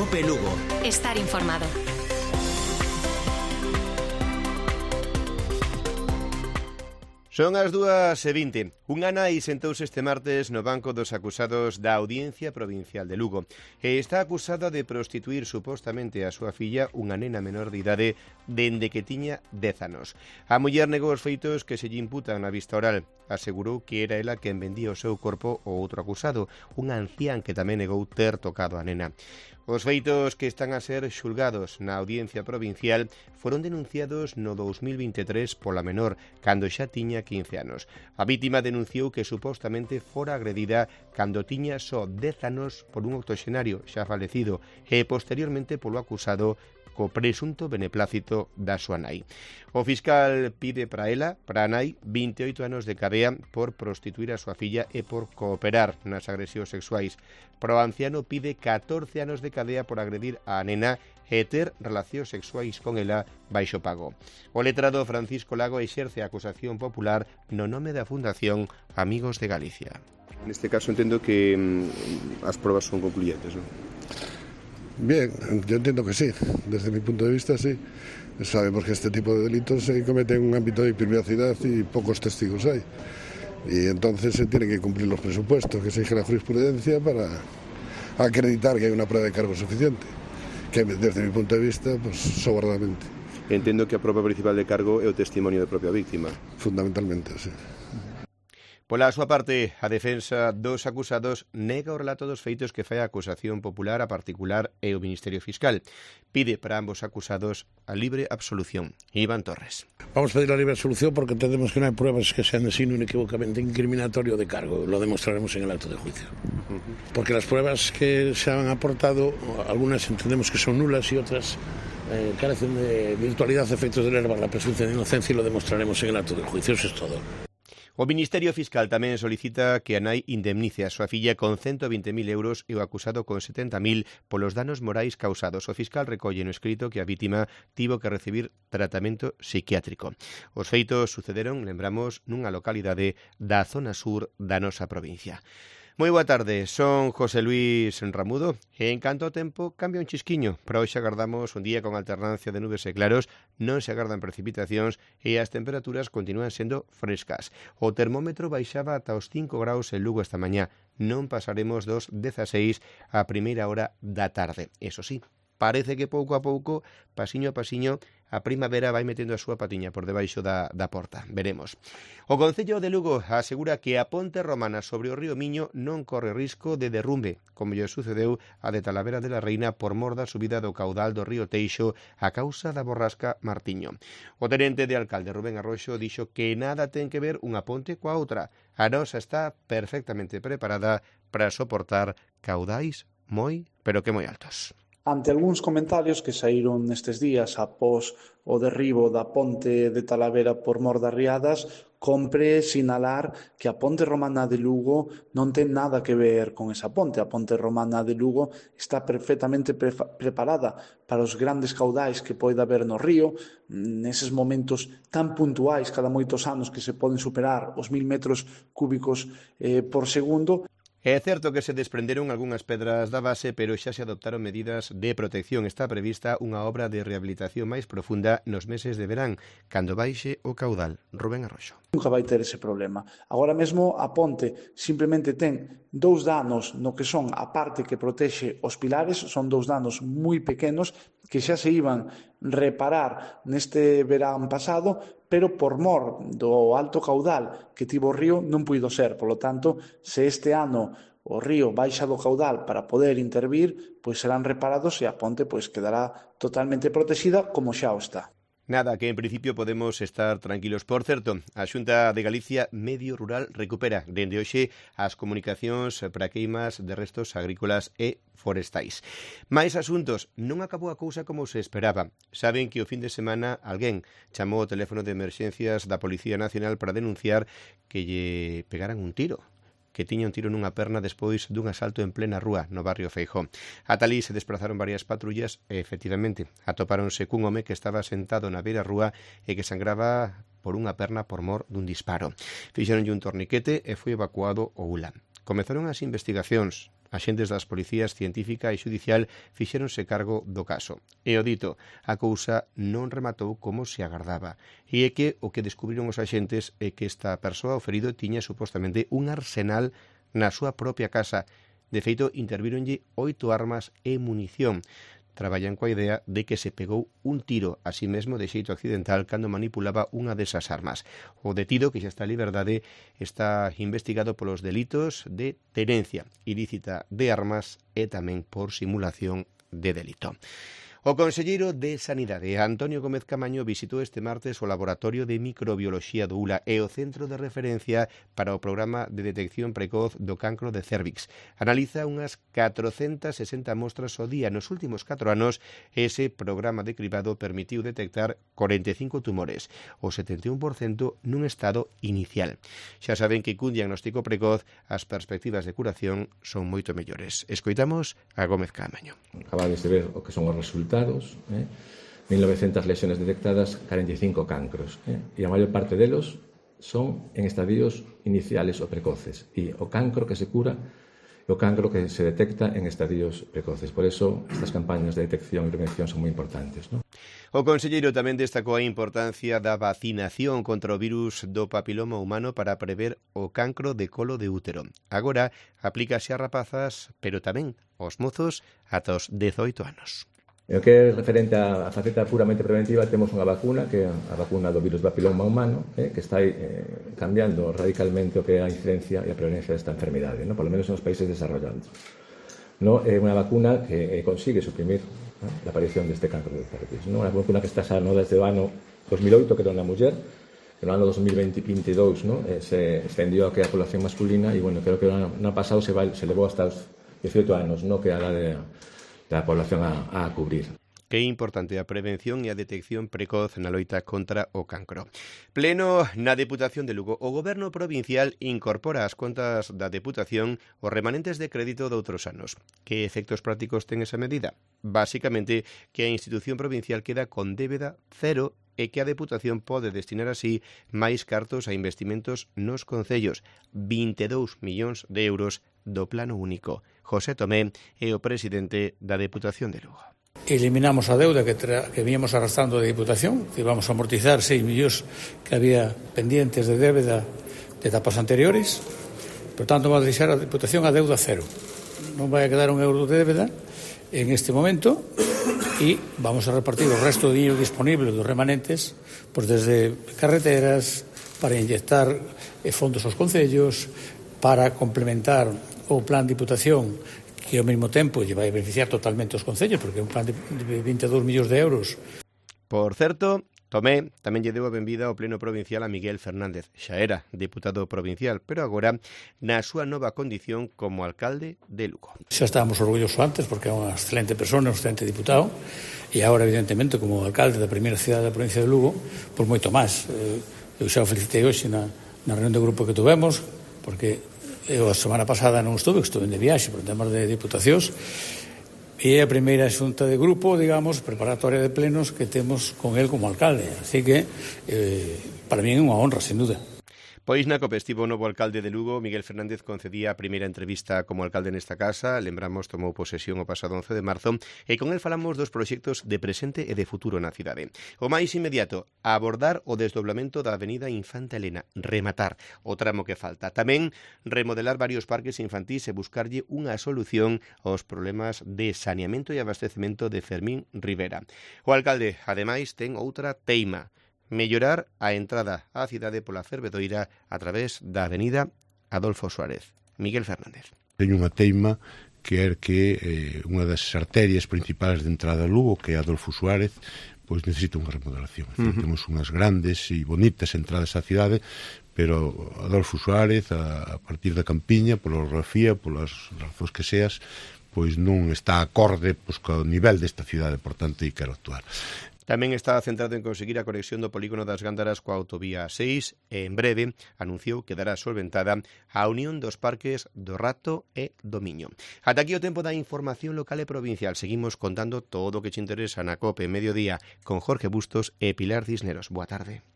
Cope Lugo. Estar informado. Son as 2:20. Unha nai sentouse este martes no banco dos acusados da Audiencia Provincial de Lugo e está acusada de prostituir supostamente a súa filla, unha nena menor de idade, dende que tiña 10 anos. A muller negou os feitos que se lle imputan na vista oral. Asegurou que era ela quen vendía o seu corpo ao outro acusado, un ancián que tamén negou ter tocado a nena. Os feitos que están a ser xulgados na Audiencia Provincial foron denunciados no 2023 pola menor, cando xa tiña 15 anos. A vítima denunciou que supostamente fora agredida cando tiña só 10 anos por un octoxenario xa falecido e posteriormente polo acusado co presunto beneplácito da súa nai. O fiscal pide para a nai, 28 anos de cadea por prostituir a súa filla e por cooperar nas agresións sexuais. Para o anciano pide 14 anos de cadea por agredir a nena e ter relacións sexuais con ela baixo pago. O letrado Francisco Lago exerce a acusación popular no nome da Fundación Amigos de Galicia. Neste caso entendo que as probas son concluyentes, ¿no? Bien, yo entiendo que sí, desde mi punto de vista sí. Sabemos que este tipo de delitos se cometen en un ámbito de privacidad y pocos testigos hay. Y entonces se tienen que cumplir los presupuestos que exige la jurisprudencia para acreditar que hay una prueba de cargo suficiente, que desde mi punto de vista, pues sobradamente. Entendo que a prova principal de cargo é o testimonio da propia víctima. Fundamentalmente, sí. Pola súa parte, a defensa dos acusados nega o relato dos feitos que fai a acusación popular a particular e o Ministerio Fiscal. Pide para ambos acusados a libre absolución. Iván Torres. Vamos a pedir la libre absolución porque entendemos que no hay pruebas que sean de signo inequívocamente incriminatorio de cargo. Lo demostraremos en el acto de juicio. Porque las pruebas que se han aportado, algunas entendemos que son nulas y otras carecen de virtualidad, efectos de enervar la presunción de inocencia y lo demostraremos en el acto de juicio. Eso es todo. O Ministerio Fiscal tamén solicita que a nai indemnice a súa filla con 120.000 euros e o acusado con 70.000 polos danos morais causados. O fiscal recolle no escrito que a vítima tivo que recibir tratamento psiquiátrico. Os feitos sucederon, lembramos, nunha localidade da zona sur da nosa provincia. Moi boa tarde, son José Luis Ramudo e en canto ao tempo cambia un chisquiño. Para hoxe agardamos un día con alternancia de nubes e claros, non se agardan precipitacións e as temperaturas continúan sendo frescas. O termómetro baixaba ata os 5 graus en Lugo esta mañá, non pasaremos dos 16 a primeira hora da tarde. Eso sí, parece que pouco a pouco, pasiño a pasiño, a primavera vai metendo a súa patiña por debaixo da porta. Veremos. O Concello de Lugo asegura que a ponte romana sobre o río Miño non corre risco de derrumbe, como lle sucedeu a de Talavera de la Reina por mor da subida do caudal do río Teixo a causa da borrasca Martiño. O tenente de alcalde Rubén Arroxo dixo que nada ten que ver unha ponte coa outra. A nosa está perfectamente preparada para soportar caudais moi, pero que moi altos. Ante algúns comentarios que saíron nestes días após o derribo da ponte de Talavera por mor das riadas, compre sinalar que a ponte romana de Lugo non ten nada que ver con esa ponte. A ponte romana de Lugo está perfectamente preparada para os grandes caudais que pode haber no río, neses momentos tan puntuais cada moitos anos que se poden superar os 1000 metros cúbicos por segundo. É certo que se desprenderon algunhas pedras da base, pero xa se adoptaron medidas de protección. Está prevista unha obra de rehabilitación máis profunda nos meses de verán, cando baixe o caudal. Rubén Arroxo. Nunca vai ter ese problema. Agora mesmo a ponte simplemente ten 2 danos no que son a parte que protexe os pilares, son 2 danos moi pequenos que xa se iban reparar neste verán pasado, pero por mor do alto caudal que tivo o río non puido ser. Por lo tanto, se este ano o río baixa do caudal para poder intervir, pois serán reparados e a ponte pois quedará totalmente protegida como xa o está. Nada, que en principio podemos estar tranquilos. Por certo, a Xunta de Galicia Medio Rural recupera dende hoxe as comunicacións para queimas de restos agrícolas e forestais. Mais asuntos, non acabou a cousa como se esperaba. Saben que o fin de semana alguén chamou o teléfono de emerxencias da Policía Nacional para denunciar que lle pegaran un tiro, que tiña un tiro nunha perna despois dun asalto en plena rúa no barrio Feijó. Ata ali se desplazaron varias patrullas e, efectivamente, atopáronse cun home que estaba sentado na beira rúa e que sangraba por unha perna por mor dun disparo. Fixeronlle un torniquete e foi evacuado ao ULA. Comezaron as investigacións. Axentes das policías científica e xudicial fixéronse cargo do caso. E o dito, a cousa non rematou como se agardaba. E é que o que descubriron os axentes é que esta persoa, o ferido, tiña supostamente un arsenal na súa propia casa. De feito, intervíronlle 8 armas e munición. Traballan coa idea de que se pegou un tiro a sí mesmo de xeito accidental cando manipulaba unha desas armas. O detido, que xa está en liberdade, está investigado polos delitos de tenencia ilícita de armas e tamén por simulación de delito. O conselleiro de Sanidade, Antonio Gómez Camaño, visitou este martes o Laboratorio de Microbioloxía do ULA e o Centro de Referencia para o Programa de Detección Precoz do Cancro de Cérvix. Analiza unhas 460 mostras ao día. Nos últimos 4 anos, ese programa de cribado permitiu detectar 45 tumores, o 71% nun estado inicial. Xa saben que cun diagnóstico precoz as perspectivas de curación son moito mellores. Escoitamos a Gómez Camaño. Acabades de ver o que son os resultados. 1900 lesiones detectadas, 45 cancros, e a maior parte delos son en estadios iniciales ou precoces, e o cancro que se cura é o cancro que se detecta en estadios precoces. Por eso, estas campañas de detección e prevención son moi importantes, non? O conselleiro tamén destacou a importancia da vacinación contra o virus do papiloma humano para prever o cancro de colo de útero. Agora, aplícase a rapazas, pero tamén aos mozos ata os 18 anos. E o que é referente á faceta puramente preventiva, temos unha vacuna, que é a vacuna do virus papiloma humano, que está cambiando radicalmente o que é a incidencia e a prevalencia desta enfermidade, no? Por lo menos nos países desarrollados. No? É unha vacuna que consigue suprimir a aparición deste cancro de cervix. No? Unha vacuna que está xa desde o ano 2008, que era na muller, que no ano 2022 no? Se extendió a que a población masculina, e bueno, creo que no ano pasado se levou hasta os 18 anos, no? Que é a edad da población a cubrir. Que é importante a prevención e a detección precoz na loita contra o cancro. Pleno na Deputación de Lugo. O Goberno provincial incorpora ás contas da Deputación os remanentes de crédito de outros anos. Que efectos prácticos ten esa medida? Básicamente, que a institución provincial queda con débeda cero e que a Deputación pode destinar así máis cartos a investimentos nos concellos, 22 millóns de euros do Plano Único. José Tomé é o presidente da Deputación de Lugo. Eliminamos a deuda que víamos arrastrando da Diputación, que íbamos a amortizar 6 millóns que había pendientes de débeda de etapas anteriores. Por tanto, vamos a deixar a Diputación a deuda cero. Non vai a quedar un euro de débeda en este momento e vamos a repartir o resto de dinero disponible dos remanentes, pues desde carreteras, para inyectar fondos aos concellos, para complementar o plan de Diputación, que ao mesmo tempo lle vai beneficiar totalmente os concellos, porque é un plan de 22 millóns de euros. Por certo, Tomé tamén lle deu a benvida ao Pleno Provincial a Miguel Fernández. Xa era deputado provincial, pero agora na súa nova condición como alcalde de Lugo. Xa estábamos orgullosos antes, porque é unha excelente persona, un excelente diputado, e agora, evidentemente, como alcalde da primeira cidade da provincia de Lugo, pois moito máis. Eu xa o felicitei hoxe na reunión do grupo que tuvemos, porque eu a semana pasada non estuve de viaxe por temas de diputacións, e é a primeira xunta de grupo, digamos, preparatoria de plenos que temos con él como alcalde. Así que, para mí é unha honra, sin duda. Pois na COPE estivo o novo alcalde de Lugo. Miguel Fernández concedía a primeira entrevista como alcalde nesta casa. Lembramos, tomou posesión o pasado 11 de marzo e con el falamos dos proxectos de presente e de futuro na cidade. O máis inmediato, abordar o desdoblamento da avenida Infanta Elena, rematar o tramo que falta. Tamén remodelar varios parques infantís e buscarlle unha solución aos problemas de saneamento e abastecemento de Fermín Rivera. O alcalde, ademais, ten outra teima: mellorar a entrada á cidade pola Fervedoira a través da avenida Adolfo Suárez. Miguel Fernández. Teño unha teima que é que unha das arterias principais de entrada a Lugo, que é Adolfo Suárez, pois necesita unha remodelación. Temos unhas grandes e bonitas entradas á cidade, pero Adolfo Suárez, a partir da Campiña, pola orografía, polas razóns que seas, pois non está acorde co nivel desta cidade, por tanto, e quero actuar. Tamén está centrado en conseguir a conexión do polígono das Gándaras coa autovía 6 e en breve anunciou que dará solventada a unión dos parques do Rato e do Miño. Ata aquí o tempo da información local e provincial. Seguimos contando todo o que te interesa na COPE Mediodía con Jorge Bustos e Pilar Cisneros. Boa tarde.